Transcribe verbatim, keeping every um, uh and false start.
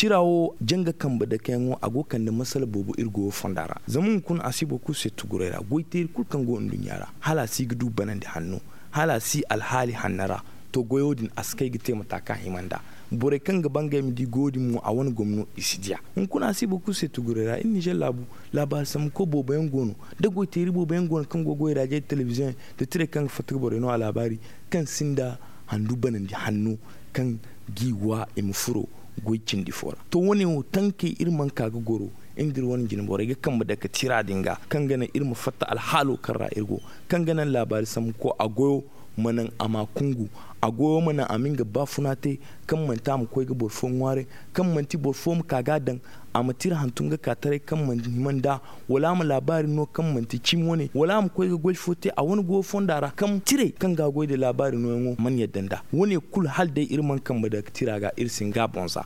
Tira wo janga kambe dakeyaŋo a go ga kande masala boobo iri goyo fonda ra zama hunkuna a si boro kulu se tuguray ra goyteeri kulu kaŋ go nduɲɲa ra hala a si ga du banandi hanno, hala a si alhaali hanno ra. To goyo din a si kay ga te mata kaŋ a hima nd'a. Borey kaŋ ga ba ngey ma di goyo din mo a wane gomno i si diya. Hunkuna a si boro kulu se tuguray ra iri nizer laabu. Laabaari sambuko boobo yaŋ go no, da goyteeri boobo yaŋ go no kaŋ go ga wayraajey da telebiziyoŋey da tirey kaŋ ga fatta ga borey no alaabaari, kaŋ sinda handu banandi hanno kaŋ g'i wa i ma furo goy cindi fo ra. To wo- ne wo tankey iri mana ka ga goro. Iri nda iri wane jinborey ga kambe dake tira din ga kaŋ ga naŋ iri ma fatta alhaalo kaŋ ra iri go, kaŋ ga naŋ laabaari sambuko a goyo ma naŋ a ma a kungu. A goyo ma naŋ a ma nga baafuna te, kaŋ manti a ma koy ga boro fo ŋwaaray, kaŋ manti boro fo ma ka ga a daŋ, a ma tira hantum ga ka taray kaŋ mana hima nd'a, wala a ma laabaari no kaŋ manti cimi wane, wala a ma koy ga goy fo te a wane goyo fonda ra kaŋ tirey kaŋ ga a goy nda laabaari nooyaŋo mana yadda nd'a. Wo- ne kulu hala day iri mana kambe dake tira ga iri si hin ga a boŋ za.